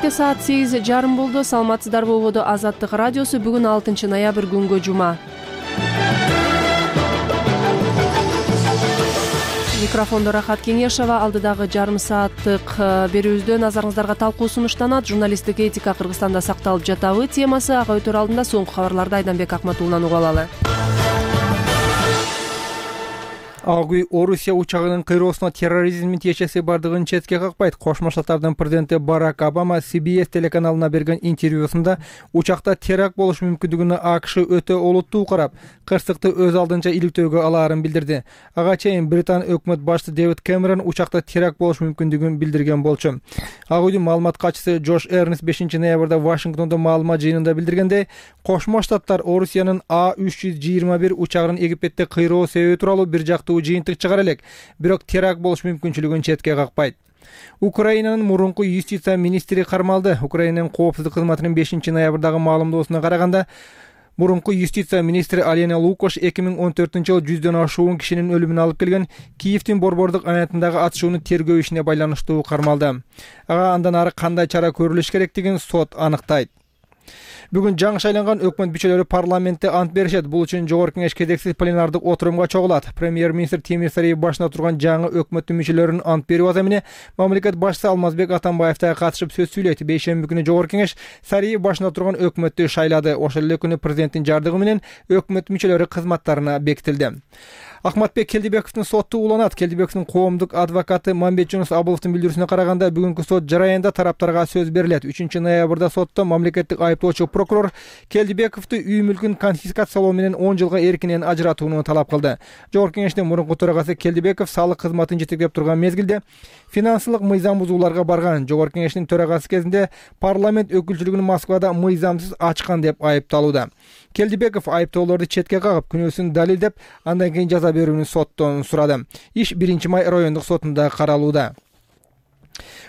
Кечке саат 8:30 болду. Саламатсыздарбы, угуду Азаттык радиосу. Бүгүн 6 ноябрь күнгө жума. Микрофондо Рахат Кеңешова. Алдыдагы жарым сааттык берүүбүздө назарыңыздарга талкуу сунуштанат. Журналисттик этика Кыргызстанда сакталып жатабы темасы. Ага өтөр алдында соңку кабарларды Айданбек Акматуллунан угуп алалы. Ак үй Орусия учагынын кыйроосуна терроризмдин тиешеси бардыгын четке какпайт. Кошмо Штаттардын президенти Барак Обама CBS телеканалына берген интервьюсунда учакта теракт болуш мүмкүндүгүнө АКШ өтө олуттуу карап, кырсыкты өз алдынча иликтөөгө алаарын билдирди. Ага чейин Британ өкмөт башчысы Дэвид Кэмерон учакта теракт болуш мүмкүндүгүн билдирген болчу. Ак үйдүн маалымат катчысы Джош Эрнст 5 ноябрда Вашингтондо маалымат жыйынында билдиргендей, Кошмо Штаттар Орусиянын А321 учагынын Египетте кыйроо себеби тууралуу бир жактуу жыйынтык чыгара элек, бирок теракт болуш мүмкүнчүлүгүн четке какпайт. Украинанын мурунку юстиция министри кармалды. Украинанын коопсуздук кызматынын 5 ноябрдагы маалымдоосуна караганда, мурунку юстиция министри Алена Лукаш 2014-жылы 100дөн ашуун кишинин өлүмүн алып келген Киевдин борбордук аянтындагы атышууну тергөө ишине байланыштуу кармалды. Ага андан ары кандай чара көрүлүш керектигин сот аныктайт. Бүгүн жаңы шайланган өкмөт мүчөлөрү парламентте ант беришет. Бул үчүн жогорку кеңеш кезексиз пленардык отурумга чогулат. Премьер-министр Темир Сариев башында турган жаңы өкмөттүн мүчөлөрүнүн ант берүү аземине мамлекет башчысы Алмазбек Атамбаев да катышып сөз сүйлөйт. Бейшемби күнү жогорку кеңеш Сариев башында турган өкмөттү шайлады. Ошол эле күнү президенттин жардыгы менен өкмөт мүчөлөрү кызматтарына бекитилди. Ахматбек Келдибековдун соту уланат. Келдибековдун коомдук адвокаты Мамбет Жунус Абыловдун билдирүүсүнө караганда, бүгүнкү сот жараянда тараптарга сөз берилет. 3 ноябрда сотто мамлекеттик айыптоочу прокурор Келдибековду үй мүлкүн конфискациялоо менен 10 жылга эркинен ажыратууну талап кылды. Жогорку кеңештин мурунку төрагасы Келдибеков салык кызматын жетектеп турган мезгилде финансылык мыйзам бузууларга барган. Жогорку кеңештин төрагасы кезинде парламент өкүлчүлүгүн Москвада мыйзамсыз ачкан деп айыпталууда. Келдибеков айыптоолорду четке кагып, күнөөсүн далилдеп, андан кийин жаза берүүнү соттон сурады. Иш 1 май райондук сотунда каралууда.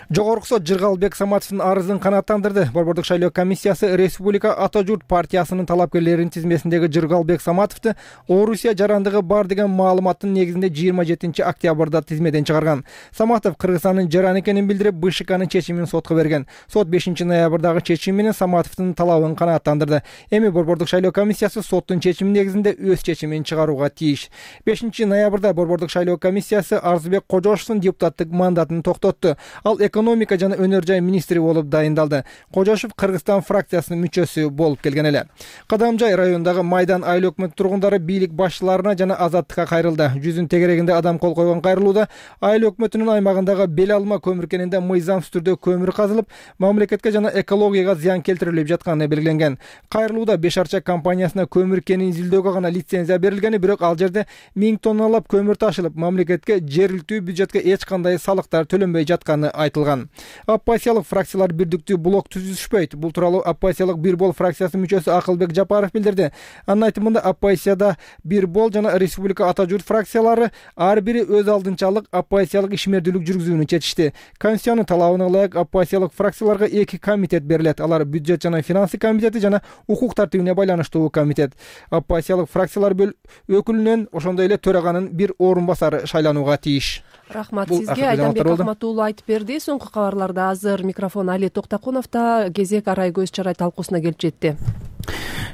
Жогорку сот Жыргалбек Саматовдун арызын канааттандырды. Борбордук шайлоо комиссиясы Республика Ата журт партиясынын талапкерлеринин тизмесиндеги Жыргалбек Саматовду Орусия жарандыгы бар деген маалыматтын негизинде 27 октябрда тизмеден чыгарган. Саматов Кыргызстандын жаран экенин билдирип, БШКнын чечимин сотко берген. Сот 5 ноябрдагы чечим менен Саматовдун талабын канааттандырды. Эми борбордук шайлоо комиссиясы соттун чечими негизинде өз чечимин чыгарууга тийиш. 5 ноябрда борбордук шайлоо комиссиясы Арзыбек Кожошовдун депутаттык мандатын токтотту. Ал экономика жана өнөр жай министри болуп дайындалды. Кожошов Кыргызстан фракциясынын мүчөсү болуп келген эле. Кадамжай районундагы Майдан айыл өкмөт тургундары бийлик башчыларына жана Азаттыкка кайрылды. Жүзүн тегерегинде адам кол койгон кайрылууда айыл өкмөтүнүн аймагындагы бел алма көмүр кенинде мыйзамсыз түрдө көмүр казылып, мамлекетке жана экологияга зыян келтирилип жатканы белгиленген. Кайрылууда Бешарча компаниясына көмүр кенин изилдөөгө гана лицензия берилгени, бирок ал жерде 1000 тонналап көмүр ташылып, мамлекетке жергиликтүү бюджетке эч кандай салыктар төлөнбөй жатканы айтылган. Оппозициялык фракциялар бирдиктүү блок түзүшпөйт. Бул тууралуу оппозициялык Бир бол фракциясынын мүчөсү Акылбек Жапаров билдирди. Анын айтымында, оппозицияда Бир бол жана Республика Ата журт фракциялары ар бири өз алдынчалык оппозициялык ишмердүүлүк жүргүзүүнү чечишти. Конституциянын талабына ылайык оппозициялык фракцияларга 2 комитет берилет. Алар бюджет жана финансы комитети жана укук тартибине байланыштуу комитет. Оппозициялык фракциялар өкүлүнөн, ошондой эле төраганын бир орун басары шайланууга тийиш. Рахмат сизге. Айданбек Акматуллу айтып берди. Соңку кабарларда азыр микрофон Али Токтакуновдо. Кезек арай көз чарай талкуусуна келип жетти.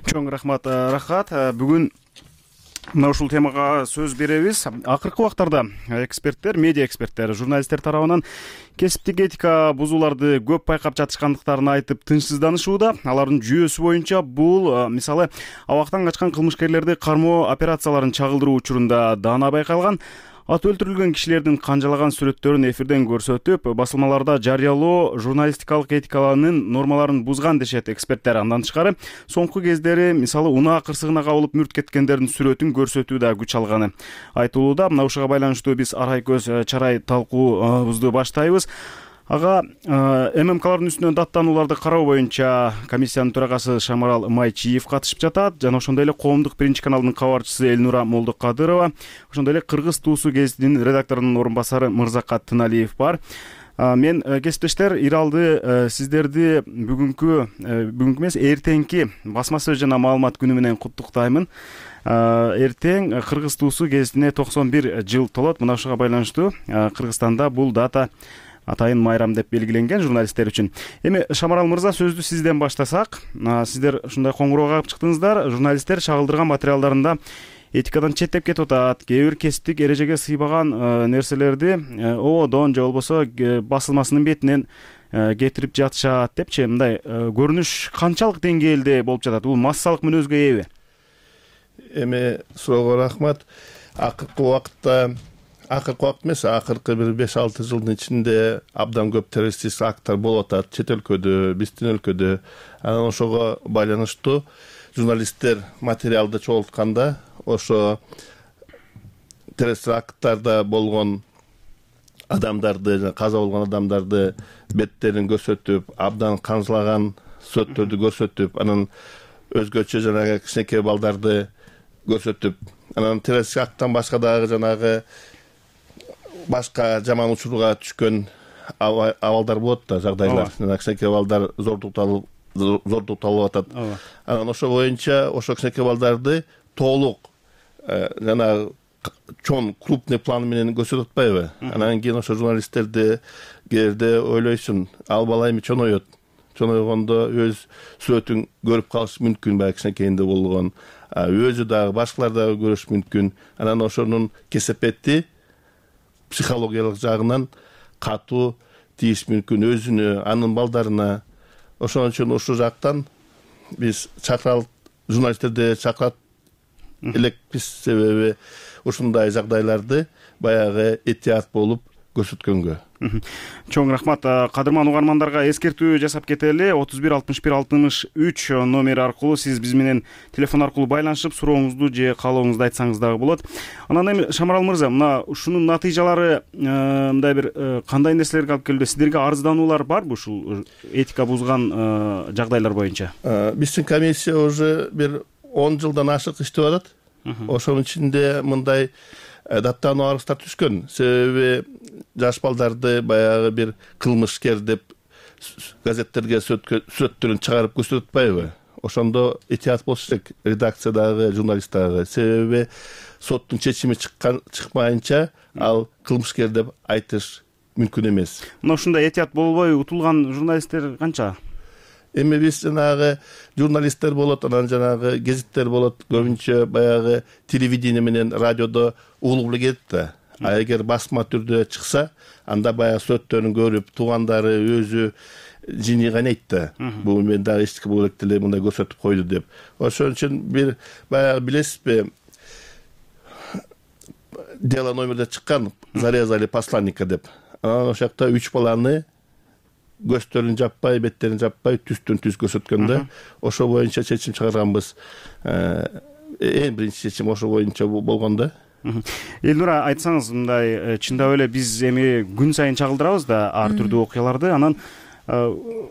Чоң рахмат, Рахат. Бүгүн мына ушул темага сөз беребиз. Акыркы убактарда эксперттер, медиа эксперттер, журналисттер тарабынан кесиптик этика бузууларды көп байкап жатышкандыктарын айтып тынчсызданышууда. Алардын жүйөсү боюнча бул, мисалы, абактан качкан кылмышкерлерди кармоо операцияларын чагылдыруу учурунда даана байкалган. Ат өлтүрүлгөн кишилердин канжалаган сүрөттөрүн эфирден көрсөтүп, басылмаларда жарыялоо журналистикалык этикаланын нормаларын бузган дешет эксперттер. Андан тышкары, соңку кездери, мисалы, унаа кырсыгына кабылып мүрт кеткендердин сүрөтүн көрсөтүү да күч алганы айтылууда. Мына ушуга байланыштуу биз арай көз чарай талкуубузду баштайбыз. Ага ММКлардын үстүнөн даттанууларды кароо боюнча комиссиянын төрагасы Шамарал Майчиев катышып жатат. Жана ошондой эле Коомдук биринчи каналдын кабарчысы Элнура Молдокадырова, ошондой эле Кыргыз туусу гезитинин редакторунун орун басары Мырзакат Тыналиев бар. Мен кесиптештер Иралды сиздерди бүгүнкү эмес, эртеңки басма сөз жана маалымат күнү менен куттуктаймын. Эртең Кыргыз туусу гезитине 91 жыл толот. Мына ушуга байланыштуу Кыргызстанда бул дата атайын майрам деп белгиленген журналисттер үчүн. Эми Шамарал мырза, сөздү сизден баштасак. Сиздер ушундай коңгуроо кагып чыктыңыздар. Журналисттер чагылдырган материалдарында этикадан четтеп кетип атат, кээ бир кесиптик эрежеге сыйбаган нерселерди ободон же болбосо басылмасынын бетинен кетирип жатышат депчи, мындай көрүнүш канчалык деңгээлде болуп жатат? Бул массалык мүнөзгө ээби? Эми суроого рахмат. Акыркы убакыт эмес, акыркы бир 5-6 жылдын ичинде абдан көп террористтик акттар болуп атат чет өлкөдө, биздин өлкөдө. Анан ошого байланыштуу журналисттер материалды чогултканда ошо террористтик акттарда болгон адамдарды, каза болгон адамдарды беттерин көрсөтүп, абдан канжылаган сүрөттөрдү көрсөтүп, анан өзгөчө жанагы кичинекей балдарды көрсөтүп, анан террористтик акттан башка дагы жанагы башка жаман учурга түшкөн абалдар болот да, жагдайлар. Кичинекей балдар зордукталып атат. Анан ошо боюнча ошо кичинекей балдарды толук жанагы чоң крупный план менен көрсөтүп атпайбы? Анан кийин ошо журналисттерди кээде ойлойсуң, ал бала эми чоңойот. Чоңойгондо өз сүрөтүн көрүп калыш мүмкүн, баягы кичинекейинде болгон. Өзү дагы башкалар дагы көрүш мүмкүн. Анан ошонун кесепети психологиялык жагынан катуу тийиш мүмкүн өзүнө, анын балдарына. Ошон үчүн ушул жактан биз журналисттерди чакырат элекпиз, себеби ушундай жагдайларды баягы этият болуп көрсөткөнгө. Чоң рахмат. Кадырман угармандарга эскертүү жасап кетели. 31 61 63 номери аркылуу сиз биз менен телефон аркылуу байланышып сурооңузду же каалооңузду айтсаңыз дагы болот. Анан эми Шамарал мырза, мына ушунун натыйжалары мындай бир кандай нерселерге алып келди? Сиздерге арыздануулар барбы ушул этика бузган жагдайлар боюнча? Биздин комиссия уже бир 10 жылдан ашык иштеп атат. Ошонун ичинде мындай даттануу арыздар түшкөн. Себеби жаш балдарды баягы бир кылмышкер деп газеттерге сүрөттөрүн чыгарып көрсөтүп атпайбы? Ошондо этият болуш керек, редакциядагы, журналист дагы. Себеби соттун чечими чыкмайынча ал кылмышкер деп айтыш мүмкүн эмес. Мына ушундай этият болбой утулган журналисттер канча? Эми биз жанагы журналисттер болот, анан жанагы гезиттер болот, көбүнчө баягы телевидение менен радиодо угулуп эле кетет да. А эгер басма түрдө чыкса, анда баягы сүрөттөрүн көрүп, туугандары өзү жини кайнайт да. Бул мен дагы эчтеке боло элек деле мындай көрсөтүп койду деп. Ошон үчүн бир баягы билесизби, дело номерде чыккан, зарезали посланника деп. Анан ошол жакта 3 баланы көздөрүн жаппай, беттерин жаппай, түстөн түз көрсөткөндө, ошо боюнча чечим чыгарганбыз. Эң биринчи чечим ошо боюнча болгондо. Элнура, айтсаңыз, мындай чындап эле биз эми күн сайын чагылдырабыз да ар түрдүү окуяларды. Анан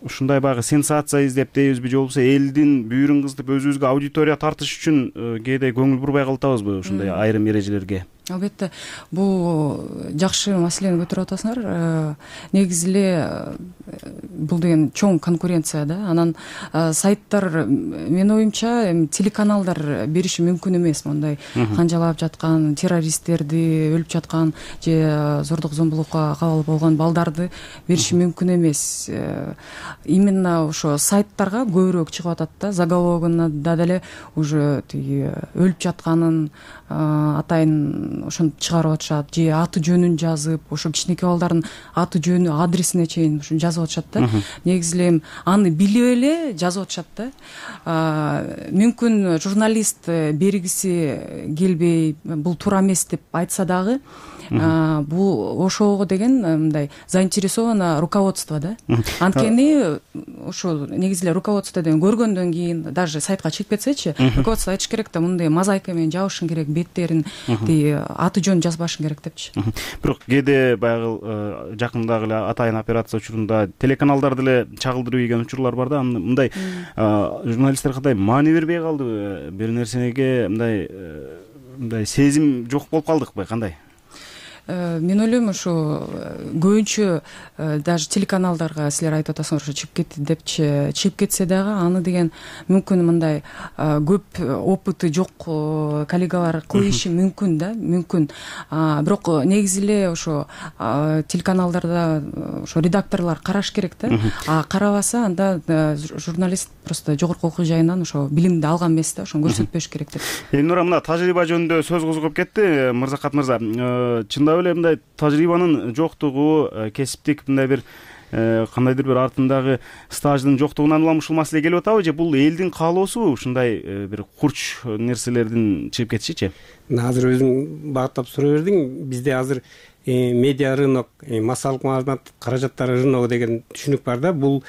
ушундай баягы сенсация издеп дейбизби, же болбосо элдин бүйүрүн кыздырып өзүбүзгө аудитория тартыш үчүн кээде көңүл бурбай калатабызбы ушундай айрым эрежелерге? Албетте, бул жакшы маселени көтөрүп атасыңар. Негизи эле бул деген чоң конкуренция да. Анан сайттар, менин оюмча, телеканалдар бериши мүмкүн эмес мондай канжалап жаткан террористтерди, өлүп жаткан же зордук зомбулукка кабыл болгон балдарды бериши мүмкүн эмес. Именно ошо сайттарга көбүрөөк чыгып атат да. Заголовогуна да деле уже өлүп жатканын атайын ошону чыгарып атышат, же аты жөнүн жазып, ошо кичинекей балдардын аты жөнү, адресине чейин ушуну жазып атышат да. Негизи эле аны билип эле жазып атышат да. Мүмкүн журналист бергиси келбей, бул туура эмес деп айтса дагы, бул ошого деген мындай заинтересовано руководство да. Анткени ошо негизи эле руководство деген көргөндөн кийин, даже сайтка чыгып кетсечи, руководство айтыш керек да, мындай мозаика менен жабышың керек беттерин, аты жөнүн жазбашың керек депчи. Бирок кээде баягы жакындагы эле атайын операция учурунда телеканалдар деле чагылдырып ийген учурлар бар да. Мындай журналисттер кандай маани бербей калдыбы? Бир нерсеге мындай сезим жок болуп калдыкпы, кандай? мен ойлойм ошо көбүнчө даже телеканалдарга силер айтып атасыңар ошо чыгып кетти депчи, чыгып кетсе дагы аны деген мүмкүн мындай көп опыты жок коллегалар коюшу мүмкүн да, мүмкүн. Бирок негизи эле ошо телеканалдарда ошо редакторлор караш керек да. Карабаса анда журналист просто жогорку окуу жайынан ошо билимди алган эмес да, ошону көрсөтпөш керек деп. Элнура, мына тажрыйба жөнүндө сөз козгоп кетти Мырзакат мырза. Чындап эле мындай тажрыйбанын жоктугу, кесиптик мындай бир кандайдыр бир артындагы стаждын жоктугунан улам ушул маселе келип атабы же бул элдин каалоосубу ушундай бир курч нерселердин чыгып кетишичи? Азыр өзүң багыттап сурай бердиң. Бизде азыр медиа рынок, массалык маалымат каражаттары рыногу деген түшүнүк бар да. Бул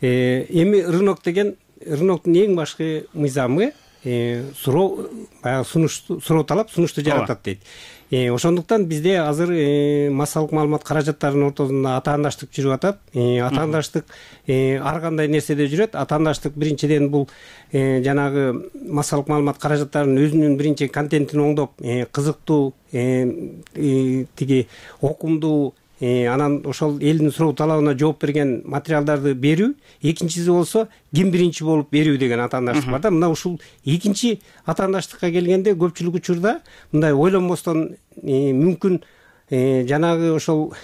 эми рынок деген рыноктун эң башкы мыйзамы суроо, баягы суроо талап сунушту жаратат дейт. Ошондуктан бизде азыр массалык маалымат каражаттарынын ортосунда атаандаштык жүрүп атат. Атаандаштык ар кандай нерседе жүрөт. Атаандаштык биринчиден бул жанагы массалык маалымат каражаттарынын өзүнүн биринчи контентин оңдоп, кызыктуу, тиги окумдуу, анан ошол элдин суроо талабына жооп берген материалдарды берүү. Экинчиси болсо ким биринчи болуп берүү деген атаандаштык бар да. Мына ушул экинчи атаандаштыкка келгенде көпчүлүк учурда мындай ойлонбостон мүмкүн жанагы ошол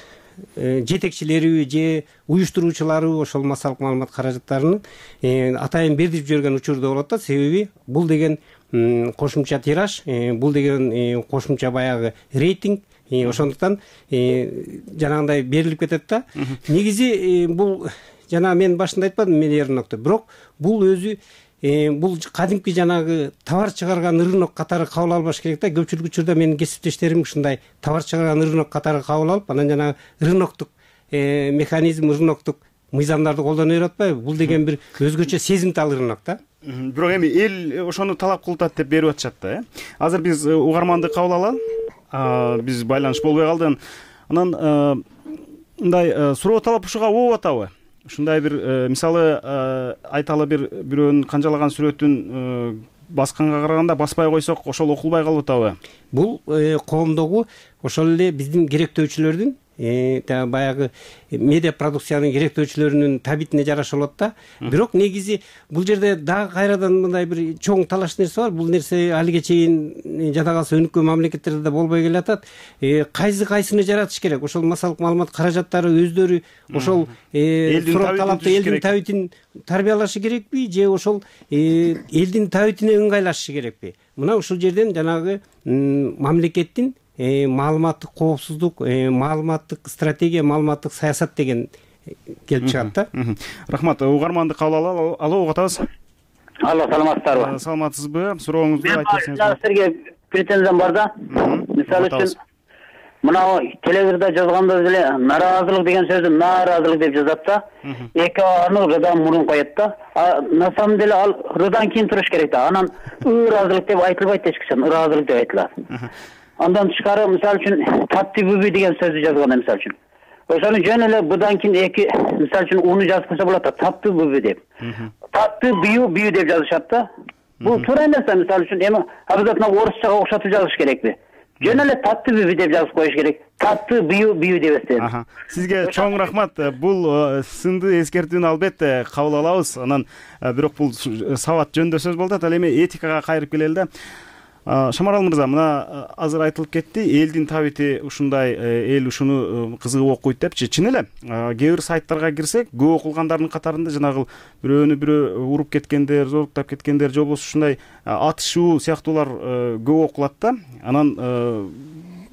жетекчилери же уюштуруучулары ошол массалык маалымат каражаттарынын атайын бердирип жиберген учурда болот да. Себеби бул деген кошумча тираж, бул деген кошумча баягы рейтинг. Ошондуктан жанагындай берилип кетет да. Негизи бул жана мен башында айтпадым медиа рынокто, бирок бул өзү бул кадимки жанагы товар чыгарган рынок катары кабыл албаш керек да. Көпчүлүк учурда менин кесиптештерим ушундай товар чыгарган рынок катары кабыл алып, анан жанагы рыноктук механизм, рыноктук мыйзамдарды колдоно берип атпайбы? Бул деген бир өзгөчө сезимтал рынок да. Бирок эми эл ошону талап кылып атат деп берип атышат да. Азыр биз угарманды кабыл алалы. Биз байланыш болбой калды. Анан мындай суроо талап ушуга болуп атабы? Ушундай бир мисалы айталы бирөөнүн канжалаган сүрөтүн басканга караганда баспай койсок ошол окулбай калып атабы? Бул коомдогу ошол эле биздин керектөөчүлөрдүн баягы медиа продукциянын керектөөчүлөрүнүн табитине жараша болот да. Бирок негизи бул жерде дагы кайрадан мындай бир чоң талаш нерсе бар. Бул нерсе алиге чейин жада калса өнүккөн мамлекеттерде да болбой келатат. Кайсыны жаратыш керек? Ошол массалык маалымат каражаттары өздөрү ошол суроо талапты элдин табитин тарбиялашы керекпи же ошол элдин табитине ыңгайлашышы керекпи? Мына ушул жерден жанагы мамлекеттин маалыматтык коопсуздук, маалыматтык стратегия, маалыматтык саясат деген келип чыгат да. Рахмат. Угарманды кабыл алалы. Алло, угуп атабыз. Алло, саламатсыздарбы? Саламатсызбы? Сурооңузду айтып берсеңиз. Мен силерге претензиям бар да. Мисалы үчүн мына телевизордо жазганда деле нааразылык деген сөздү нааразылык деп жазат да. Эки аны рыдан мурун коет да. На самом деле ал рыдан кийин туруш керек да. Анан ыраазылык деп айтылбайт эч качан, ыраазылык деп айтылат. Андан тышкары мисалы үчүн таттыбүбү деген сөздү жазганда мисалы үчүн ошону жөн эле быдан кийин эки мисалы үчүн уну жазып койсо болот да, таттыбүбү деп. Татты бүйү деп жазышат да. Бул туура эмес да. Мисалы үчүн эми обязательно орусчага окшотуп жазыш керекпи? Жөн эле таттыбүбү деп жазып коюш керек. Татты бүйү дебестен. Сизге чоң рахмат. Бул сынды эскертүүнү албетте кабыл алабыз. Анан бирок бул сабат жөнүндө сөз болуп атат. Ал эми этикага кайрып келели да. Шамарал мырза, мына азыр айтылып кетти, элдин табити ушундай, эл ушуну кызыгып окуйт депчи. Чын эле, кээ бир сайттарга кирсек, көп окулгандардын катарында жанагы бирөөнү бирөө уруп кеткендер, зоруктап кеткендер, же болбосо ушундай атышуу сыяктуулар көп окулат да. Анан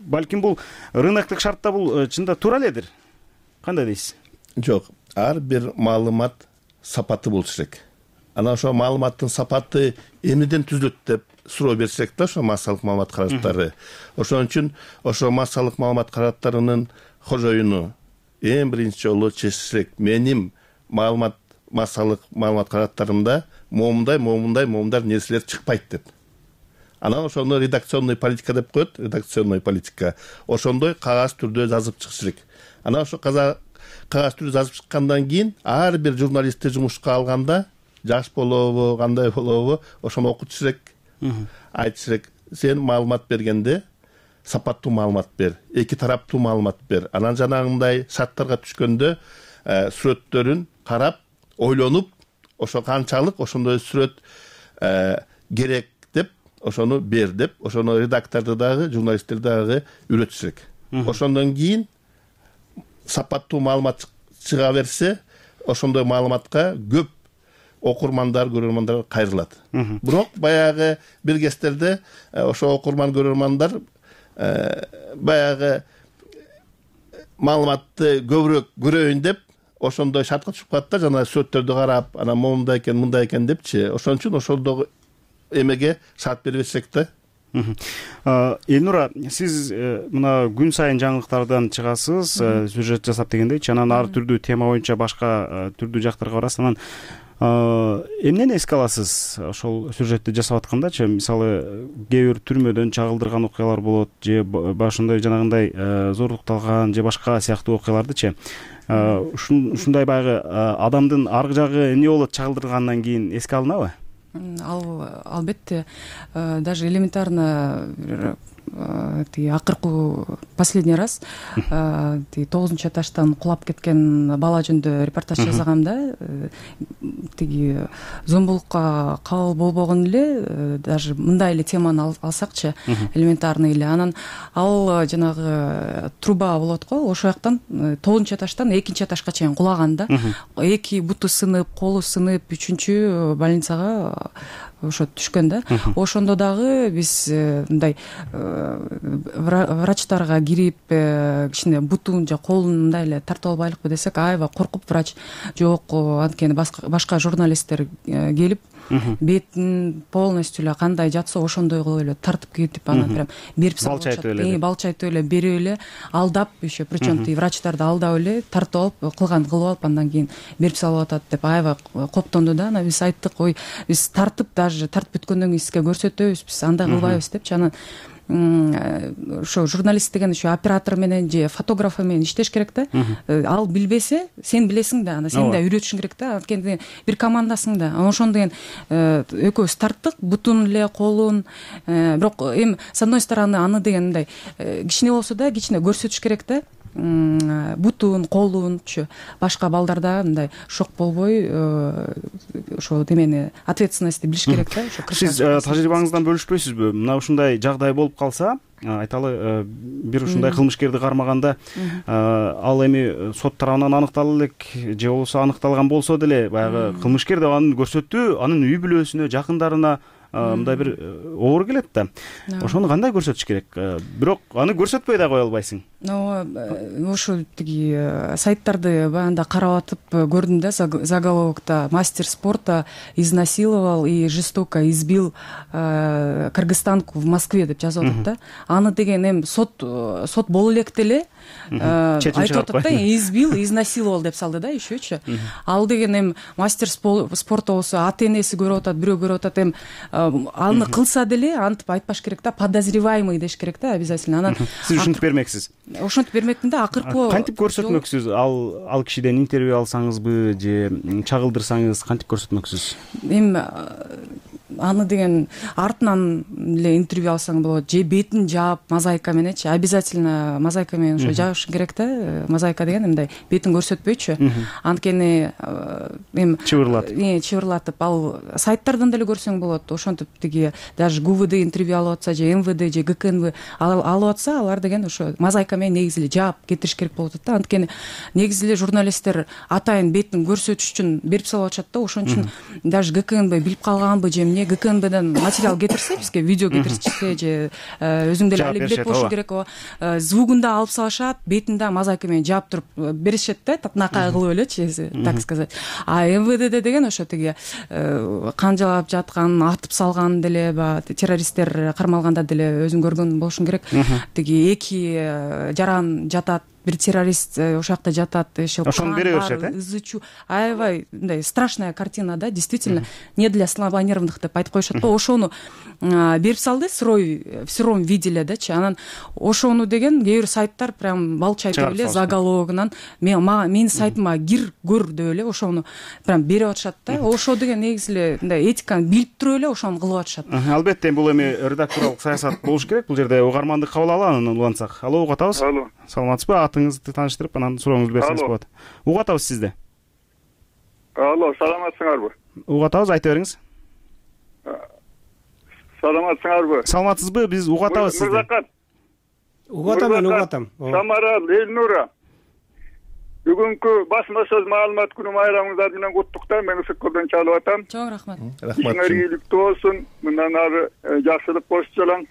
балким бул рыноктук шартта бул чында туура эледир. Кандай дейсиз? Жок, ар бир маалымат сапаты болуш керек. Анан ошо маалыматтын сапаты эмнеден түзүлөт деп суроо берсек да, ошо массалык маалымат каражаттары. Ошон үчүн ошо массалык маалымат каражаттарынын кожоюну эң биринчи жолу чечиш керек. Менин массалык маалымат каражаттарымда момундай нерселер чыкпайт деп. Анан ошону редакционный политика деп коет, редакционный политика. Ошондой кагаз түрдө жазып чыгыш керек. Анан ошо кагаз түрдө жазып чыккандан кийин ар бир журналистти жумушка алганда жаш болобу, кандай болобу, ошону окутуш керек. Айтыш керек. Сен маалымат бергенде сапаттуу маалымат бер, эки тараптуу маалымат бер. Анан жанагындай шарттарга түшкөндө сүрөттөрүн карап, ойлонуп, ошо канчалык ошондой сүрөт керек деп ошону бер деп, ошону редакторду дагы, журналисттерди дагы үйрөтүш керек. Ошондон кийин сапаттуу маалымат чыга берсе, ошондой маалыматка көп окурмандар, көрөрмандар кайрылат. Бирок баягы бир кездерде ошо окурман, көрөрмандар баягы маалыматты көбүрөөк көрөйүн деп ошондой шартка түшүп калат да, жана сүрөттөрдү карап, анан мондай экен, мындай экен депчи. Ошон үчүн ошондогу эмеге шарт бербесек да. Элнура, сиз мына күн сайын жаңылыктардан чыгасыз, сюжет жасап дегендейчи, анан ар түрдүү тема боюнча башка түрдүү жактарга барасыз. Анан эмнени эске аласыз ошол сюжетти жасап аткандачы? Мисалы, кээ бир түрмөдөн чагылдырган окуялар болот, же ошондой жанагындай зорлукталган же башка сыяктуу окуялардычы. Ушундай баягы адамдын аркы жагы эмне болот чагылдыргандан кийин эске алынабы? Албетте, даже элементарно акыркы последний раз 9 этаждан кулап кеткен бала жөнүндө репортаж жасагам да. Тиги зомбулукка кабыл болбогон эле, даже мындай эле теманы алсакчы, элементарный эле. Анан ал жанагы труба болот го, ошол жактан 9 этаждан 2 этажга чейин кулаган да. Эки буту сынып, колу сынып, 3-чү больницага ошо түшкөн да. Ошондо дагы биз мындай врачтарга кирип, кичине бутун же колун мындай эле тартып албайлыкпы десек, аябай коркуп врач жок, анткени башка журналисттер келип бетин полностью эле кандай жатса ошондой кылып эле тартып кетип, анан прям берип салып атышат. Балчайтып эле берип эле алдап, еще причем врачтарды алдап эле тартып алып, кылган кылып алып, андан кийин берип салып атат деп аябай коптонду да. Анан биз айттык, ой, биз тартып, даже тартып бүткөндөн кийин сизге көрсөтөбүз, биз андай кылбайбыз депчи. Анан ошо журналист деген ошо оператор менен же фотограф менен иштеш керек да. Ал билбесе, сен билесиң да, анда сен да үйрөтүшүң керек да, анткени бир командасың да. Ошондо деген экөөбүз тарттык, бутун эле, колун. Бирок эми с одной стороны аны деген мындай кичине болсо да, кичине көрсөтүш керек да. Бутун, колунчу башка балдарда мындай шок болбой, ошо демени ответственностьти билиш керек да. Сиз тажрыйбаңыздан бөлүшпөйсүзбү? Мына ушундай жагдай болуп калса, айталы, бир ушундай кылмышкерди кармаганда, ал эми сот тарабынан аныктала элек же болбосо аныкталган болсо деле, баягы кылмышкер деп аны көрсөтүү, анын үй бүлөсүнө, жакындарына мындай бир оор келет да. Ошону кандай көрсөтүш керек? Бирок аны көрсөтпөй да кое албайсың. Ошо тиги сайттарды баягында карап атып көрдүм да, заголовокто: мастер спорта изнасиловал и жестоко избил кыргызстанку в Москве деп жазып атат да. Аны деген эми сот боло электе эле айтып атат да, избил, изнасиловал деп салды да, ещечи. Ал деген эми мастер спорта болсо ата энеси көрүп атат, бирөө көрүп атат, эми аны кылса деле антип айтпаш керек да, подозреваемый деш керек да, обязательно. Анан сиз ушинтип бермексиз. Ошентип бермекмин да, акыркы кантип көрсөтмөксүз? Ал кишиден интервью алсаңызбы же чагылдырсаңыз кантип көрсөтмөксүз? Эми аны деген артынан эле интервью алсаң болот, же бетин жаап мозаика мененчи, обязательно мозаика менен ошо жабышың керек да. Мозаика деген мындай бетин көрсөтпөйчү, анткени эми чыбырлатып, ал сайттардан деле көрсөң болот. Ошентип тиги даже ГУВД интервью алып атса, же МВД же ГКНВ алып атса, алар деген ошо мозаика менен негизи эле жаап кетириш керек болуп атат да. Анткени негизи эле журналисттер атайын бетин көрсөтүш үчүн берип салып атышат да. Ошон үчүн даже ГКНВ билип калганбы же эмне, ГКНБден материал кетирсе, бизге видео кетирсе, же өзүң деле алып болушуң керек. Звугун да алып салышат, бетин да мозаика менен жаап туруп беришет да, татынакай кылып элечи, так сказать. А МВД деген ошо тиги канжалап жаткан, атып салган деле, террористтер кармалганда деле өзүң көргөн болушуң керек. Тиги эки жаран жатат, бир террорист ошол жакта жатат, ошону бере беришет, ызы чуу, аябай мындай страшная картина, да, действительно, не для слабонервных деп айтып коюшат го. Ошону берип салды в сыром виде эле-дечи. Анан ошону деген кээ бир сайттар прям балчы айтып эле заголовогунан менин сайтыма кир көр деп эле ошону прям берип атышат да. Ошо деген негизи эле мындай этиканы билип туруп эле ошону кылып атышат. Албетте бул эми редакторлук саясат болуш керек. Бул жерде угарманды кабыл алалы, улантсак. Алло, угуп атабыз? Алло. Саламатсызбы? Атыңызды тааныштырып, анан сурооңузду берсеңиз болот. Угуп атабыз сизди. Алло, саламатсыңарбы? Угуп атабыз, айта бериңиз. Саламатсыңарбы? Саламатсызбы? Биз угуп атабыз сизди. Мырзакат. Угуп атам, мен угуп атам. Самарал, Элнура. Бүгүнкү басма сөз маалымат күнү байрамыңыздар менен куттуктайм. Мен Ысыккөлдөн чалып атам. Чоң рахмат. Ишиңер ийгиликтүү болсун. Мындан ары жакшылык болуп жалаң.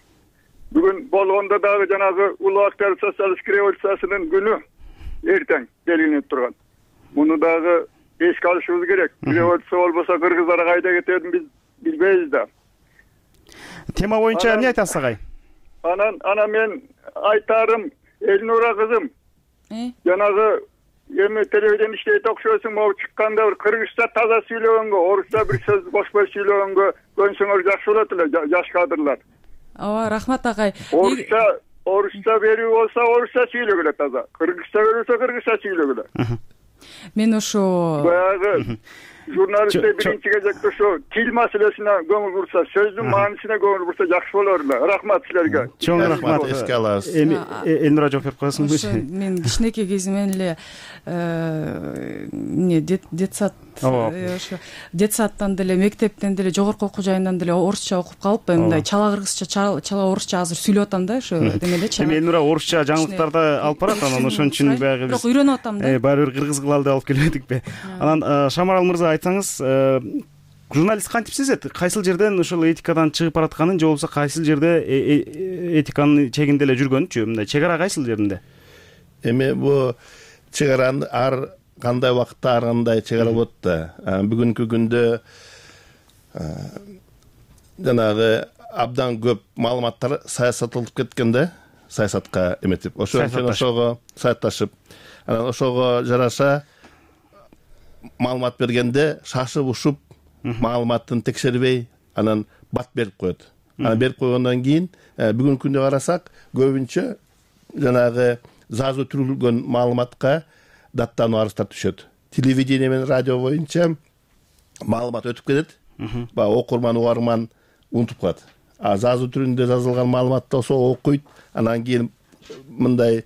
Бүгүн болгондо дагы жанагы улуу актер социалисттик революциясынын күнү эртең белгиленип турган. Муну дагы эске алышыбыз керек. Революция болбосо кыргыздар кайда кетерин биз билбейбиз да. Тема боюнча эмне айтасыз агай? Анан мен айтарым, Элнура кызым. Жанагы эми телевидение иштейт окшойсуң, могу чыкканда бир кыргызча таза сүйлөгөнгө, орусча бир сөз кошпой сүйлөгөнгө көнсөңөр жакшы болот эле, жаш кадрлар. Ооба, рахмат агай. Орусча берүү болсо орусча сүйлөгүлө таза. Кыргызча берүүсө кыргызча сүйлөгүлө. Мен ошо баягы журналисттер биринчи кезекте ошо тил маселесине көңүл бурса, сөздүн маанисине көңүл бурса жакшы болор эле. Рахмат силерге. Чоң рахмат. Эске алабыз. Элнура жооп берип коесуңбу? Мен кичинекей кезимден эле детсад ошо детсадтан деле, мектептен деле, жогорку окуу жайынан деле орусча окуп калып, мындай чала кыргызча, чала орусча азыр сүйлөп атам да, ошо демелечи. Эми Элнура орусча жаңылыктарды алып барат, анан ошон үчүн баягы бирок үйрөнүп атам да. Баары бир кыргыз кылалы деп алып келбедикпи? Анан Шамарал мырза, айтсаңыз, журналист кантип сезет? Кайсыл жерден ушул этикадан чыгып баратканын, же болбосо кайсыл жерде этиканын чегинде эле жүргөнүнчү? Мындай чегара кайсыл жеринде? Эми бул чегараны ар кандай убакытта ар кандай чегара болот да. Бүгүнкү күндө жанагы абдан көп маалыматтар саясатталып кеткен да, саясатка эметип. Ошого саясатташып, анан ошого жараша маалымат бергенде шашып ушуп маалыматын текшербей анан бат берип коет. Анан берип койгондон кийин бүгүнкү күндө карасак, көбүнчө жанагы жазылтырылган маалыматка даттануу арыздар түшөт. Телевидение менен радио боюнча маалымат өтүп кетет. Окурман, угарман унутуп калат. Жазуу түрүндө жазылган маалыматты болсо окуйт, анан кийин мындай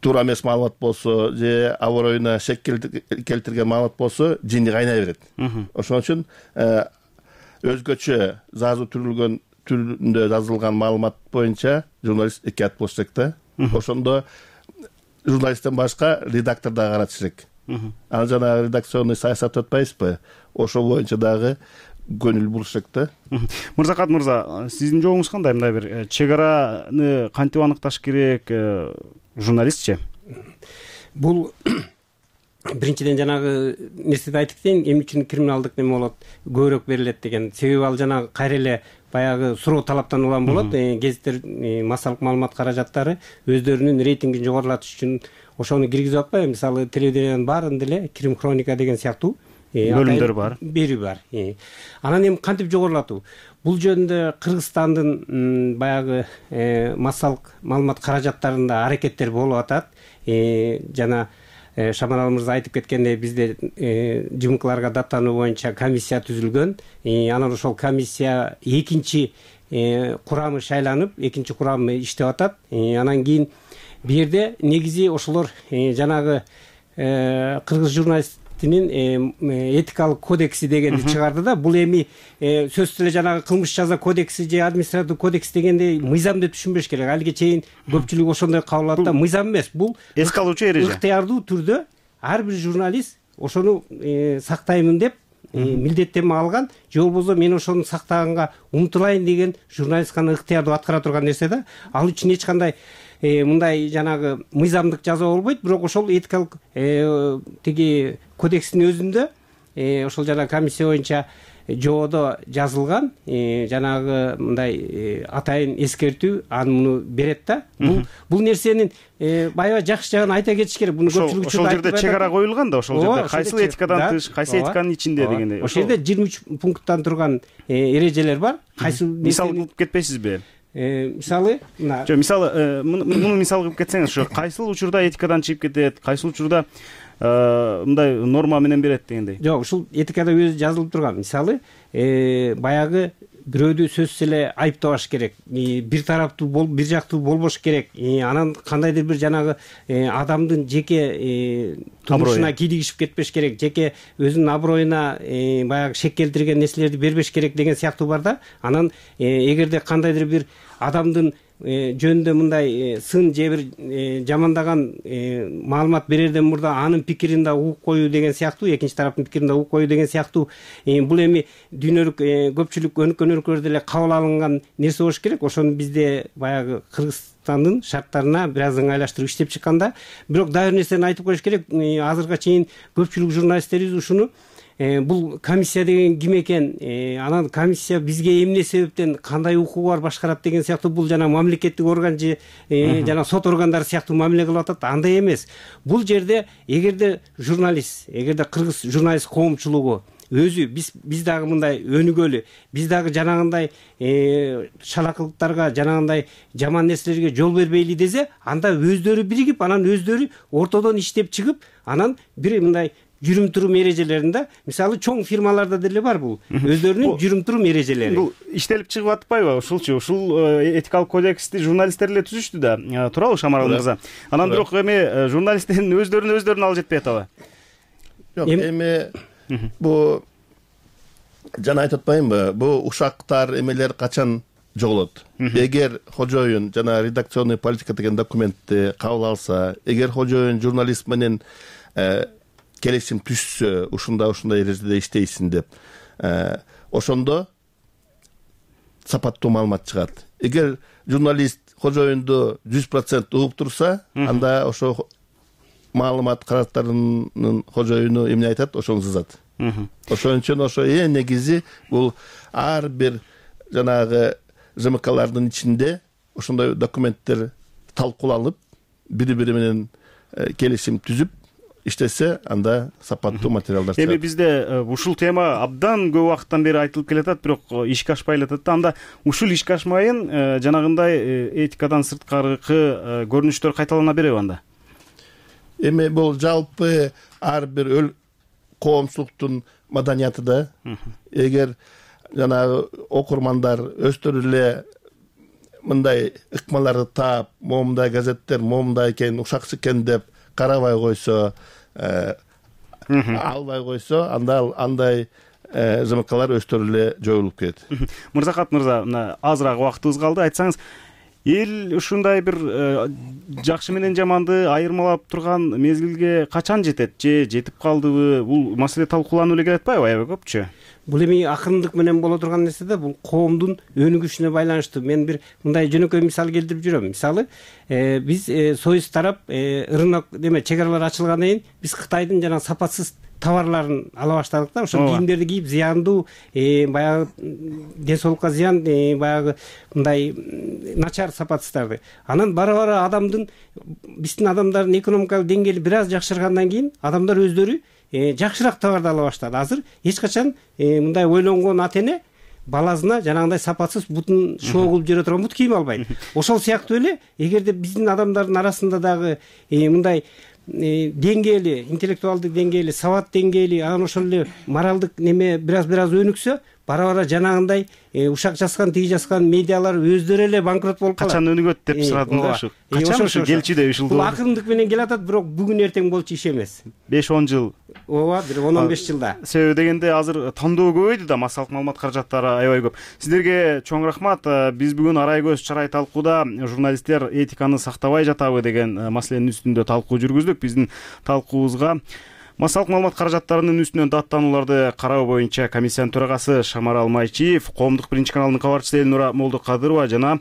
туура эмес маалымат болсо же аброюна шек келтирген маалымат болсо жини кайнай берет. Ошон үчүн өзгөчө жазуу түрүндө жазылган маалымат боюнча журналист экият болуш керек да. Ошондо журналисттен башка редактор дагы каратыш керек. Анан жанагы редакционный саясат атпайбызбы? Ошол боюнча дагы көңүл буруш керек да. Мырзакат мырза, сиздин жообуңуз кандай? Мындай бир чегараны кантип аныкташ керек, журналистчи? Бул биринчиден жанагы нерседи айтып кетейин, эмне үчүн криминалдык неме болот, көбүрөөк берилет деген. Себеби ал жанагы кайра эле баягы суроо талаптан улам болот. Гезиттер, массалык маалымат каражаттары өздөрүнүн рейтингин жогорулатыш үчүн ошону киргизип атпайбы? Мисалы, телевидениянын баарында эле крим хроника деген сыяктуу бөлүмдөр бар. Бери бар. Анан эми кантип жогорулатуу? Бул жөнүндө Кыргызстандын баягы массалык маалымат каражаттарында аракеттер болуп атат. Жана Шамарал мырза айтып кеткендей, бизде ЖМКларга даттануу боюнча комиссия түзүлгөн. Анан ошол комиссия экинчи курамы шайланып, экинчи курамы иштеп атат. Анан кийин бу жерде негизи ошолор жанагы кыргыз журналистинин этикалык кодекси дегенди чыгарды да. Бул эми сөзсүз эле жанагы кылмыш жаза кодекси же административдик кодекс дегенде мыйзам деп түшүнбөш керек. Алиге чейин көпчүлүк ошондой кабыл алат да. Мыйзам эмес, бул эске алуучу эреже. Ыктыярдуу түрдө ар бир журналист ошону сактаймын деп милдеттенме алган, же болбосо мен ошону сактаганга умтулайын деген журналист гана ыктыярдуу аткара турган нерсе да. Ал үчүн эч кандай мындай жанагы мыйзамдык жаза болбойт, бирок ошол этикалык тиги кодекстин өзүндө ошол жана комиссия боюнча жободо жазылган жанагы мындай атайын эскертүү аны муну берет да. Бул нерсенин баягы жакшы жагын айта кетиш керек. Буну көпчүлүк ошол жерде чек ара коюлган да, ошол жерде кайсыл этикадан тыш, кайсы этиканын ичинде дегендей. Ошол жерде 23 пункттан турган эрежелер бар. Кайсы мисал кылып кетпейсизби? Мисалы жок, мисалы муну мисал кылып кетсеңиз, ошо кайсыл учурда этикадан чыгып кетет, кайсыл учурда мындай норма менен берет дегендей. Жок, ушул этикада өзү жазылып турган. Мисалы баягы бирөөдү сөзсүз эле айыптабаш керек, бир тараптуу бир жактуу болбош керек, анан кандайдыр бир жанагы адамдын жеке турмушуна кийлигишип кетпеш керек, жеке өзүнүн аброюна баягы шек келтирген нерселерди бербеш керек деген сыяктуу бар да. Анан эгерде кандайдыр бир адамдын жөнүндө мындай сын же бир жамандаган маалымат берерден мурда анын пикирин да угуп коюу деген сыяктуу, экинчи тараптын пикирин да угуп коюу деген сыяктуу бул эми дүйнөлүк көпчүлүк өнүккөн өлкөлөрдө эле кабыл алынган нерсе болуш керек. Ошону бизде баягы Кыргызстандын шарттарына бир аз ыңгайлаштырып иштеп чыкканда, бирок дагы бир нерсени айтып коюш керек. Азыркыга чейин көпчүлүк журналисттерибиз ушуну бул комиссия деген ким экен, анан комиссия бизге эмне себептен кандай укугу бар башкарат деген сыяктуу, бул жана мамлекеттик орган же жана сот органдары сыяктуу мамиле кылып атат. Андай эмес. Бул жерде эгерде журналист, эгерде кыргыз журналист коомчулугу өзү биз дагы мындай өнүгөлү, биз дагы жанагындай шалакылыктарга, жанагындай жаман нерселерге жол бербейли десе, анда өздөрү биригип, анан өздөрү ортодон иштеп чыгып, анан бир мындай жүрүм-турум эрежелеринде, мисалы чоң фирмаларда деле бар бул өздөрүнүн жүрүм-турум эрежелери. Бул иштелип чыгып атпайбы ушулчу? Ушул этикалык кодексти журналисттер эле түзүштү да, туурабы Шамарал мырза? Анан бирок эми журналисттердин өздөрүн алып жетпей атабы? Жок, эми бу жана айтып атпаймынбы, бу ушактар эмелер качан жоголот? Эгер кожоюн жана редакционный политика деген документти кабыл алса, эгер кожоюн журналист менен келишим түзсө, ушундай эрежеде иштейсиң деп, ошондо сапаттуу маалымат чыгат. Эгер журналист кожоюнду 100% угуп турса, анда ошо маалымат каражаттарынын кожоюну эмне айтат, ошону сызат. Ошон үчүн ошо негизи бул ар бир жанагы ЖМКлардын ичинде ошондой документтер талкууланып, бири-бири менен келишим түзүп иштесе, анда сапаттуу материалдар чыгат. Эми бизде ушул тема абдан көп убакыттан бери айтылып келатат, бирок ишке ашпай элатат да. Анда ушул ишке ашмайын жанагындай этикадан сырткаркы көрүнүштөр кайталана береби анда? Эми бул жалпы ар бир коомчулуктун маданияты да. Эгер жанагы окурмандар өздөрү эле мындай ыкмаларды таап, момундай газеттер момундай экен, ушакчы экен деп карабай койсо, албай койсо, анда андай ЖМКлар өздөрү эле жоюлуп кетет. Мырзахат мырза, мына азыраак убактыбыз калды. Айтсаңыз, эл ушундай бир жакшы менен жаманды айырмалап турган мезгилге качан жетет? Же жетип калдыбы? Бул маселе талкууланып эле келатпайбы аябай көпчү? Бул эми акырындык менен боло турган нерсе да, бул коомдун өнүгүшүнө байланыштуу. Мен бир мындай жөнөкөй мисал келтирип жүрөм. Мисалы, биз союз тарап рынок чек аралар ачылгандан кийин биз Кытайдын жана сапатсыз товарларын ала баштадык да. Ошол кийимдерди кийип, зыяндуу, баягы ден соолукка зыян, баягы мындай начар сапатсыздарды. Анан бара-бара биздин адамдардын экономикалык деңгээли бир аз жакшыргандан кийин адамдар өздөрү жакшыраак товарды ала баштады. Азыр эч качан мындай ойлонгон ата эне баласына жанагындай сапатсыз бутун шоо кылып жүрө турган бут кийим албайт. Ошол сыяктуу эле, эгерде биздин адамдардын арасында дагы мындай деңгээли, интеллектуалдык деңгээли, сабат деңгээли, анан ошол эле моралдык неме бир аз өнүксө, бара-бара жанагындай ушак жазган, тиги жазган медиалар өздөрү эле банкрот болуп калат. Качан өнүгөт деп сурадым го ушу. Качан ушу келчүдөй ушул? Бул акырындык менен келатат, бирок бүгүн эртең болчу иш эмес. 5-10 жыл. Ооба, бир 10-15 жылда. Себеби дегенде азыр тандоо көбөйдү да, массалык маалымат каражаттары аябай көп. Сиздерге чоң рахмат. Биз бүгүн арай көз чарай талкууда журналисттер этиканы сактабай жатабы деген маселенин үстүндө талкуу жүргүздүк. Биздин талкуубузга массалык маалымат каражаттарынын үстүнөн даттанууларды кароо боюнча комиссиянын төрагасы Шамарал Майчиев, коомдук биринчи каналдын кабарчысы Элнура Молдокадырова жана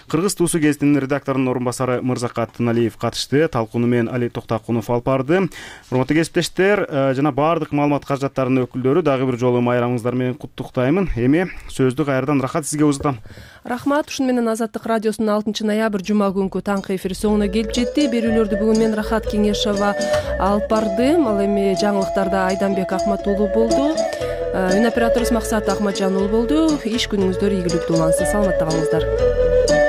Кыргыз туусу гезитинин редакторунун орун басары Мырзакат Тыналиев катышты. Талкууну менен Али Токтакунов алып барды. Урматтуу кесиптештер, жана баардык маалымат каражаттарынын өкүлдөрү дагы бир жолу майрамыңыздар менен куттуктаймын. Эми сөздү кайрадан Рахат сизге узатам. Рахмат. Ушуну менен Азаттык радиосунун 6 ноябрь жума күнкү таңкы эфир соңуна келип жетти. Берүүлөрдү бүгүн мен Рахат Кеңешова алып бардым. Ал эми жаңылыктарда Айданбек Акматуулу болду. Үн операторубуз Максат Акматжан уулу болду. Иш күнүңүздөр ийгиликтүү улансын. Саламатта калыңыздар.